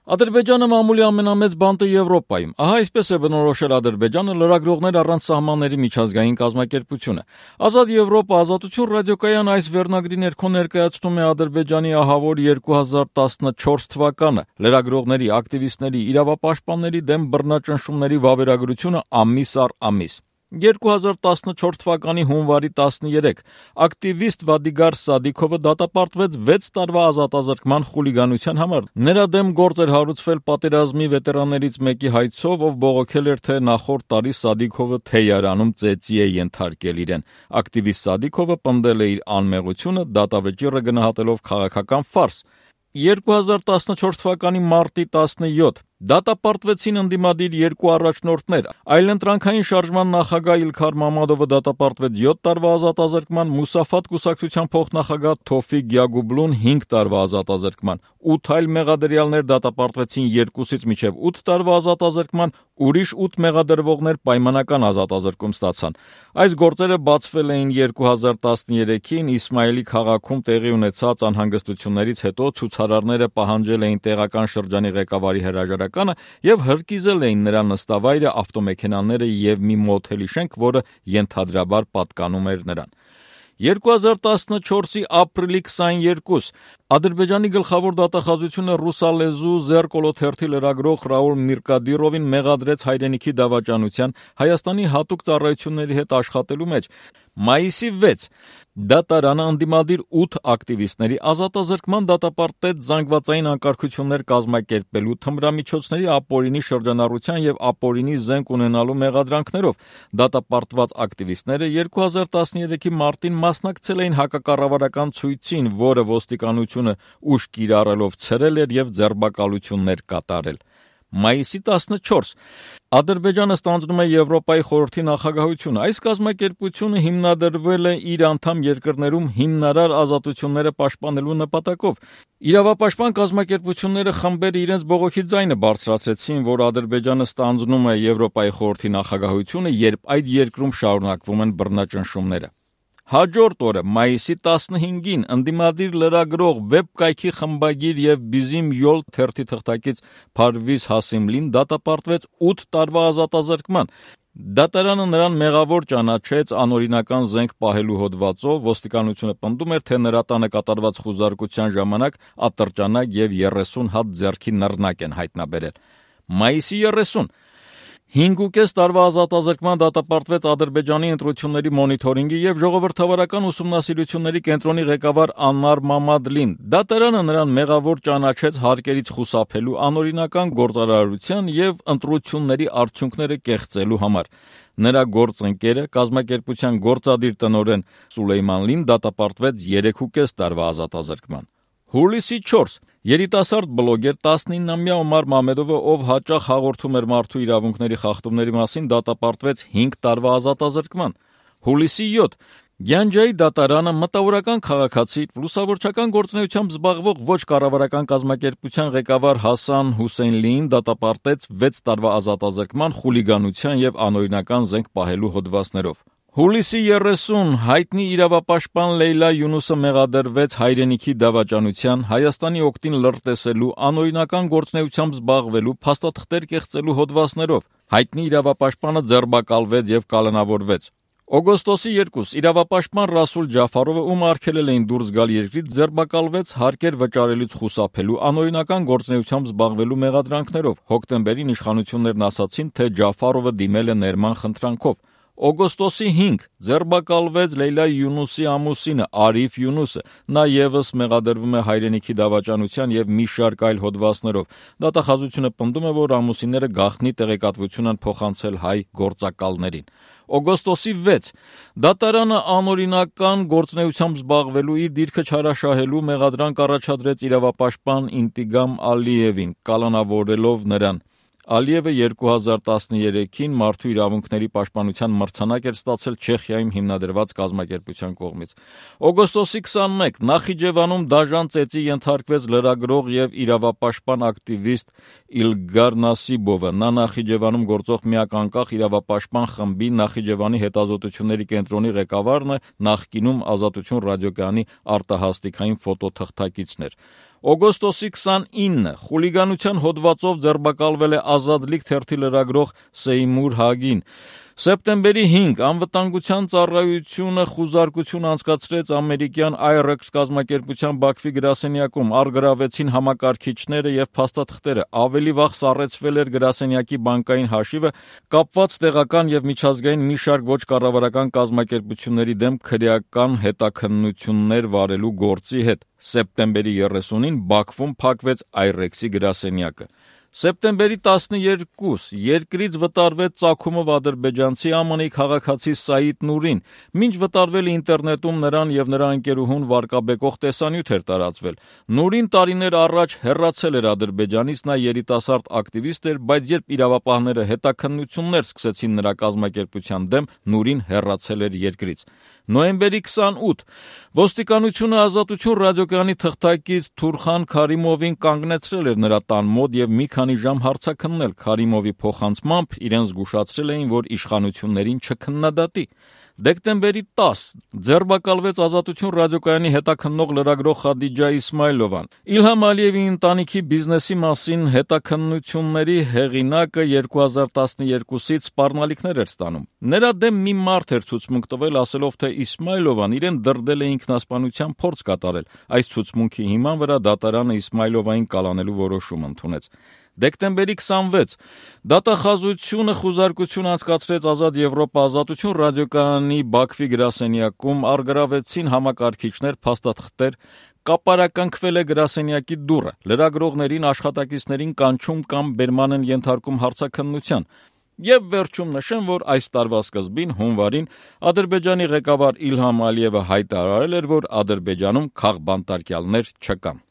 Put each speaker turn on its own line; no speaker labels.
Ադրբեջանը մամուլի ամենամեծ բանտը Եվրոպայում։ Ահա այսպես է բնորոշել Ադրբեջանը լրագրողներ առանց սահմանների միջազգային կազմակերպությունը։ Ազատ Եվրոպա ազատություն ռադիոկայան այս վերնագրի ներքո ներկայացնում է Ադրբեջանի ահավոր 2014 թվականը լրագրողների, ակտիվիստների, իրավապաշտպանների դեմ բռնաճնշումների վավերագրությունը ամիս առ ամիս։ 2014 թվականի հունվարի 13 ակտիվիստ Վադիգար Սադիքովը դատապարտվեց 6 տարվա ազատազրկման խուլիգանության համար։ Նրա դեմ գործ էր հարուցվել պատերազմի վետերաններից մեկի հայցով, ով բողոքել էր, թե նախորդ տարի Սադիքովը թեյարանում ծեծի է ենթարկել իրեն։ Ակտիվիստ Սադիքովը պնդել է իր անմեղությունը, դատավճիռը գնահատելով քաղաքական ֆարս։ 2014 թվականի մարտի 17 դատապարտվեցին ընդդիմադիր երկու առաջնորդներ։ Այլընտրանքային շարժման նախագահ Իլքար Մամադովը դատապարտվեց 7 տարվա ազատազրկման, Մուսաֆատ կուսակցության փոխնախագահ Թոֆիկ Գյագուբլուն 5 տարվա ազատազրկման, 8 այլ մեղադրյալներ դատապարտվեցին 2-ից մինչև 8 տարվա ազատազրկման, ուրիշ 8 մեղադրվողներ պայմանական ազատազրկում ստացան։ Այս գործերը բացվել էին 2013-ին Իսմայելի քաղաքում տեղի ունեցած անհանգստություններից հետո ցուցարարները պահանջել էին տեղական շրջանի ղեկավարի հրաժարականը եւ հրկիզել էին նրա նստավայրը, ավտոմեքենաները եւ մի մոթելի շենք, որը ենթադրաբար պատկանում էր նրան։ 2014-ի ապրիլի 22 Ադրբեջանի գլխավոր դատախազությունը ռուսալեզու Զերկոլոթերթի լրագրող Ռաուլ Միրկադիրովին մեղադրեց հայրենիքի դավաճանության Հայաստանի հատուկ ծառայությունների հետ աշխատելու մեջ։ Մայիսի 6 դատարանը ընդդիմադիր 8 ակտիվիստների ազատազրկման դատապարտեց զանգվածային անկարգություններ կազմակերպելու, թմրամիջոցների ապօրինի շրջանառության եւ ապօրինի զենք ունենալու մեղադրանքներով։ Դատապարտված ակտիվիստները 2013-ի մարտին մասնակցել էին հակակառավարական ցույցին, որը ոստիկանությունը ուժ կիրառելով ցրել էր եւ ձերբակալություններ կատարել։ Մայիսի 14 Ադրբեջանը ստանձնում է Եվրոպայի խորհրդի նախագահությունը։ Այս կազմակերպությունը հիմնադրվել է իր անդամ երկրներում հիմնարար ազատությունները պաշտպանելու նպատակով։ Իրավապաշտպան կազմակերպությունները խմբերը իրենց բողոքի ձայնը բարձրացրեցին, որ Ադրբեջանը ստանձնում է Եվրոպայի խորհրդի նախագահությունը, երբ այդ երկրում շարունակվում են բռնաճնշումները։ Հաջորդ օրը, մայիսի 15-ին, ընդդիմադիր լրագրող, վեբ կայքի խմբագիր եւ Bizim Yol թերթի թղթակից Փարվիզ Հասիմլին դատապարտվեց 8 տարվա ազատազրկման։ Դատարանը նրան մեղավոր ճանաչեց անօրինական զենք պահելու հոդվածով, ոստիկանությունը պնդում էր, թե նրա տանը կատարված խուզարկության ժամանակ ատրճանակ եւ 30 հատ ձեռքի նռնակ են հայտնաբերել։ Մայիսի 30 5.5 տարվա ազատազրկման դատապարտվեց Ադրբեջանի ընտրությունների մոնիթորինգի եւ ժողովրդավարական ուսումնասիրությունների կենտրոնի ղեկավար Աննար Մամադլին։ Դատարանը նրան մեղավոր ճանաչեց հարկերից խուսափելու, անօրինական գործարարության եւ ընտրությունների արդյունքները կեղծելու համար։ Նրա գործընկերը, կազմակերպության գործադիր տնօրեն Սուլեյմանլին դատապարտվեց 3.5 տարվա ազատազրկման։ Հուլիսի 4 երիտասարդ բլոգեր 19-ամյա Օմար Մամեդովը, ով հաճախ հաղորդում էր մարդու իրավունքների խախտումների մասին, դատապարտվեց 5 տարվա ազատազրկման։ Հուլիսի 7 Գյանջայի դատարանը մտավորական քաղաքացի, լուսավորչական գործունեությամբ զբաղվող ոչ կառավարական կազմակերպության ղեկավար Հասան Հուսեյնլիին դատապարտեց 6 տարվա ազատազրկման խուլիգանության եւ անօրինական զենք պահելու հոդվածներով։ Հուլիսի 30 հայտնի իրավապաշտպան Լեյլա Յունուսը մեղադրվեց հայրենիքի դավաճանության, Հայաստանի օգտին լրտեսելու, անօրինական գործունեությամբ զբաղվելու, փաստաթղթեր կեղծելու հոդվածներով։ Հայտնի իրավապաշտպանը ձերբակալվեց եւ կալանավորվեց։ Օգոստոսի 2 իրավապաշտպան Ռասուլ Ջաֆարովը, ում արգելել էին դուրս գալ երկրից, ձերբակալվեց հարկեր վճարելուց խուսափելու, անօրինական գործունեությամբ զբաղվելու մեղադրանքներով։ Հոկտեմբերին իշխանություններն ասացին, թե Ջաֆարովը դիմել է ներման խնդրանքով։ Օգոստոսի 5 ձերբակալվեց Լեյլա Յունուսի ամուսինը Արիֆ Յունուսը։ Նա եւս մեղադրվում է հայրենիքի դավաճանության եւ մի շարք այլ հոդվածներով։ Դատախազությունը պնդում է, որ ամուսինները գաղտնի տեղեկատվություն են փոխանցել հայ գործակալներին։ Օգոստոսի 6 դատարանը անօրինական գործունեությամբ զբաղվելու, իր դիրքը չարաշահելու մեղադրանք առաջադրեց իրավապաշտպան Ինտիգամ Ալիևին, կալանավորելով նրան։ Ալիևը 2013-ին մարդու իրավունքների պաշտպանության մրցանակ էր ստացել Չեխիայում հիմնադրված կազմակերպության կողմից։ Օգոստոսի 21 Նախիջևանում դաժան ծեծի ենթարկվեց լրագրող եւ իրավապաշտպան ակտիվիստ Իլգար Նասիբովը։ Նա Նախիջևանում գործող միակ անկախ իրավապաշտպան խմբի Նախիջևանի հետազոտությունների կենտրոնի ղեկավարն է, նախկինում Ազատություն ռադիոկայանի արտահասթիկային ֆոտոթղթակիցն էր։ Օգոստոսի 29-ը խուլիգանության հոդվածով ձերբակալվել է Ազատ լիգ թերթի լրագրող Սեյմուր Հագին։ Սեպտեմբերի 5 անվտանգության ծառայությունը խուզարկություն անցկացրեց ամերիկյան IREX կազմակերպության Բաքվի գրասենյակում, առգրավեցին համակարգիչները եւ փաստաթղթերը, ավելի վաղ սառեցվել էր գրասենյակի բանկային հաշիվը, կապված տեղական եւ միջազգային մի շարք ոչ կառավարական կազմակերպությունների դեմ քրեական հետաքննություններ վարելու գործի հետ։ Սեպտեմբերի 30-ին Բաքվում փակվեց IREX-ի գրասենյակը։ Սեպտեմբերի 12 երկրից վտարվեց ծագումով ադրբեջանցի ԱՄՆ քաղաքացի Սաիդ Նուրին, մինչ վտարվել ինտերնետում նրան եւ նրա ընկերուհուն վարկաբեկող տեսանյութ էր տարածվել։ Նուրին տարիներ առաջ հեռացել էր Ադրբեջանից, նա երիտասարդ ակտիվիստ էր, բայց երբ իրավապահները հետաքննություններ սկսեցին նրա կազմակերպության դեմ, Նուրին հեռացել էր երկրից։ Նոյեմբերի 28 ոստիկանությունը Ազատություն ռադիոկայանի թղթակից Թուրխան Քարիմովին կանգնեցրել էր նրա տան մոտ եւ մի քանի ժամ հարցաքննել։ Քարիմովի փոխանցմամբ իրեն զգուշացրել էին, որ իշխանություններին չքննադատի։ Դեկտեմբերի 10 ձերբակալվեց Ազատություն ռադիոկայանի հետաքննող լրագրող Խադիջա Իսմայլովան։ Իլհամ Ալիևի ընտանիքի բիզնեսի մասին հետաքննությունների հեղինակը 2012-ից սպառնալիքներ էր ստանում։ Նրա դեմ մի մարդ էր ցուցմունք տվել, ասելով, թե Իսմայլովան իրեն դրդել է ինքնասպանության փորձ կատարել։ Այս ցուցմունքի հիման վրա դատարանը Իսմայլովային կալանելու որոշում ընդունեց։ Դեկտեմբերի 26 դատախազությունը խուզարկություն անցկացրեց Ազատ Եվրոպա Ազատություն ռադիոկայանի Բաքվի գրասենյակում, առգրավեցին համակարգիչներ, փաստաթղթեր, կապարակնքվել է գրասենյակի դուռը, լրագրողներին, աշխատակիցներին կանչում կամ բերման են ենթարկում հարցաքննության։ Եվ վերջում նշեմ, որ այս տարվա սկզբին հունվարին Ադրբեջանի ղեկավար Իլհամ Ալիևը հայտարարել էր, որ Ադրբեջանում քաղբանտարկյալներ չկան։